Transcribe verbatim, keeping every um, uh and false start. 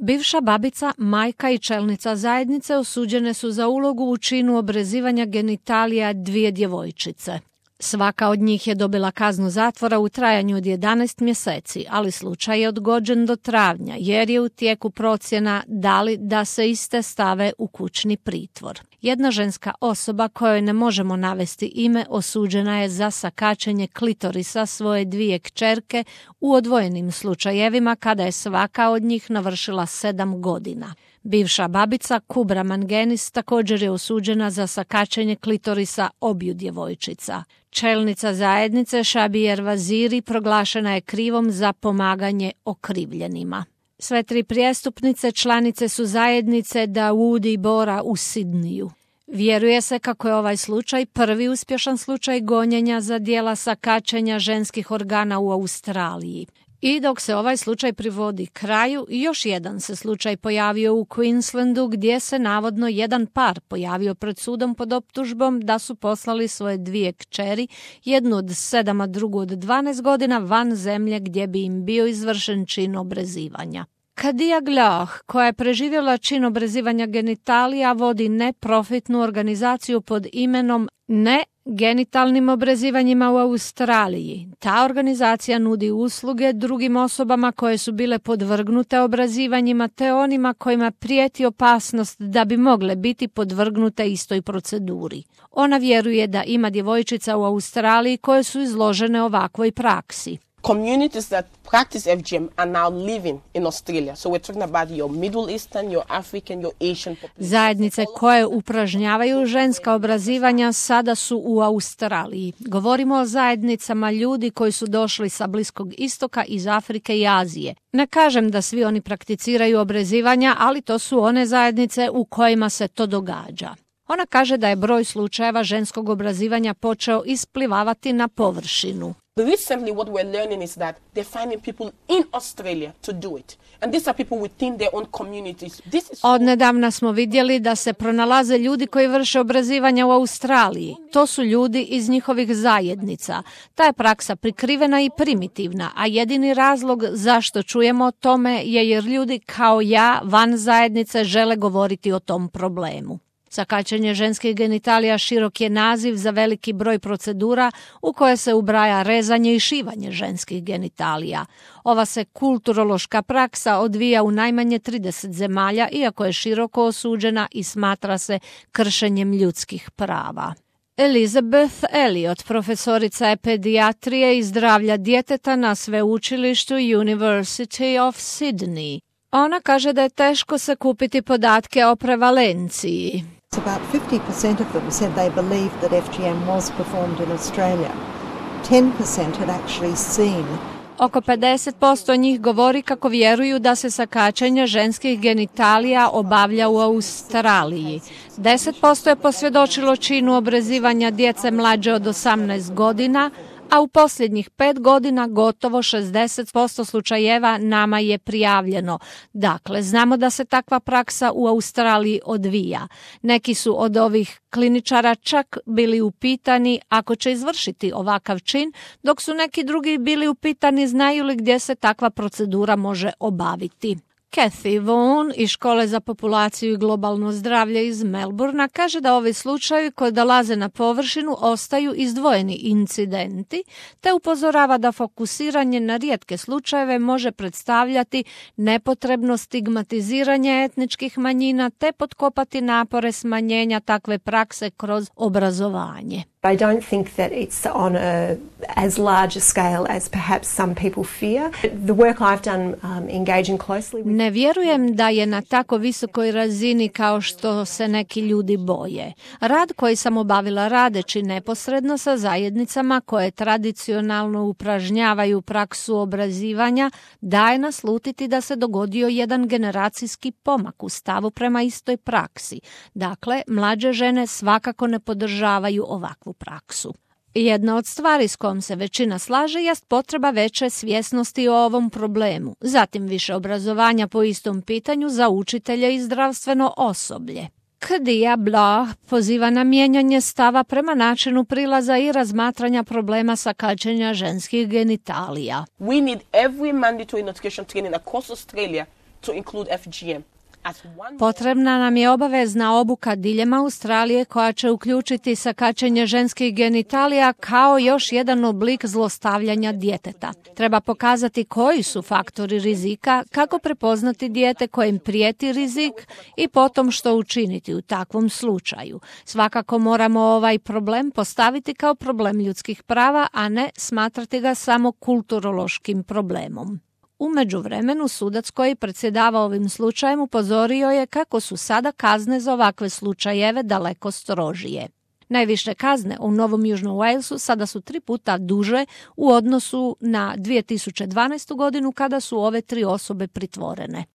Bivša babica, majka i čelnica zajednice osuđene su za ulogu u činu obrezivanja genitalija dvije djevojčice. Svaka od njih je dobila kaznu zatvora u trajanju od jedanaest mjeseci, ali slučaj je odgođen do travnja jer je u tijeku procjena da li da se iste stave u kućni pritvor. Jedna ženska osoba kojoj ne možemo navesti ime osuđena je za sakačenje klitorisa svoje dvije kćerke u odvojenim slučajevima kada je svaka od njih navršila sedam godina. Bivša babica Kubra Mangenis također je osuđena za sakačenje klitorisa obju djevojčica. Čelnica zajednice Šabijer Vaziri proglašena je krivom za pomaganje okrivljenima. Sve tri prijestupnice članice su zajednice Dawoodi Bora u Sidniju. Vjeruje se kako je ovaj slučaj prvi uspješan slučaj gonjenja za djela sakačenja ženskih organa u Australiji. I dok se ovaj slučaj privodi kraju, još jedan se slučaj pojavio u Queenslandu gdje se navodno jedan par pojavio pred sudom pod optužbom da su poslali svoje dvije kćeri, jednu od sedam, a drugu od dvanaest godina van zemlje gdje bi im bio izvršen čin obrezivanja. Kadia Gloh, koja je preživjela čin obrezivanja genitalija, vodi neprofitnu organizaciju pod imenom Ne genitalnim obrezivanjima u Australiji. Ta organizacija nudi usluge drugim osobama koje su bile podvrgnute obrezivanjima te onima kojima prijeti opasnost da bi mogle biti podvrgnute istoj proceduri. Ona vjeruje da ima djevojčica u Australiji koje su izložene ovakvoj praksi. Communities that practice F G M are now living in Australia. So we're talking about your Middle Eastern, your African, your Asian population. Zajednice koje upražnjavaju ženska obrazivanja sada su u Australiji. Govorimo o zajednicama ljudi koji su došli sa Bliskog istoka, iz Afrike i Azije. Ne kažem da svi oni prakticiraju obrezivanja, ali to su one zajednice u kojima se to događa. Ona kaže da je broj slučajeva ženskog obrazivanja počeo isplivavati na površinu. Recently what we're learning is that they're finding people in Australia to do it. And these are people within their own communities. This is Odnedavna smo vidjeli da se pronalaze ljudi koji vrše obrazivanja u Australiji. To su ljudi iz njihovih zajednica. Ta je praksa prikrivena i primitivna, a jedini razlog zašto čujemo o tome je jer ljudi kao ja van zajednice žele govoriti o tom problemu. Sakačenje ženskih genitalija širok je naziv za veliki broj procedura u koje se ubraja rezanje i šivanje ženskih genitalija. Ova se kulturološka praksa odvija u najmanje trideset zemalja, iako je široko osuđena i smatra se kršenjem ljudskih prava. Elizabeth Elliot, profesorica je pedijatrije i zdravlja djeteta na sveučilištu University of Sydney. Ona kaže da je teško sakupiti podatke o prevalenciji. About fifty percent of them said they believed that F G M was performed in Australia. ten percent had actually seen. Oko pedeset posto njih govori kako vjeruju da se sakačenje ženskih genitalija obavlja u Australiji. deset posto je posvjedočilo činu obrezivanja djece mlađe od osamnaest godina, a u posljednjih pet godina gotovo šezdeset posto slučajeva nama je prijavljeno. Dakle, znamo da se takva praksa u Australiji odvija. Neki su od ovih kliničara čak bili upitani ako će izvršiti ovakav čin, dok su neki drugi bili upitani znaju li gdje se takva procedura može obaviti. Kathy Vaughan iz Škole za populaciju i globalno zdravlje iz Melbourna kaže da ovi slučajevi koji dolaze na površinu ostaju izdvojeni incidenti, te upozorava da fokusiranje na rijetke slučajeve može predstavljati nepotrebno stigmatiziranje etničkih manjina te potkopati napore smanjenja takve prakse kroz obrazovanje. I don't think that it's on a as large a scale as perhaps some people fear. The work I've done um, engaging closely with... Ne vjerujem da je na tako visokoj razini kao što se neki ljudi boje. Rad koji sam obavila radeći neposredno sa zajednicama koje tradicionalno upražnjavaju praksu obrazivanja daje naslutiti da se dogodio jedan generacijski pomak u stavu prema istoj praksi. Dakle, mlađe žene svakako ne podržavaju ovakvu praksu. Jedna od stvari s kojom se većina slaže jest potreba veće svjesnosti o ovom problemu, zatim više obrazovanja po istom pitanju za učitelje i zdravstveno osoblje. Kadia Blah poziva na mijenjanje stava prema načinu prilaza i razmatranja problema sakačenja ženskih genitalija. We need every mandatory notification training across Australia to include F G M. Potrebna nam je obavezna obuka diljem Australije koja će uključiti sakaćenje ženskih genitalija kao još jedan oblik zlostavljanja djeteta. Treba pokazati koji su faktori rizika, kako prepoznati dijete kojem prijeti rizik i potom što učiniti u takvom slučaju. Svakako moramo ovaj problem postaviti kao problem ljudskih prava, a ne smatrati ga samo kulturološkim problemom. U međuvremenu sudac koji predsjedava ovim slučajem upozorio je kako su sada kazne za ovakve slučajeve daleko strožije. Najviše kazne u Novom Južnom Walesu sada su tri puta duže u odnosu na dvije tisuće dvanaestu godinu kada su ove tri osobe pritvorene.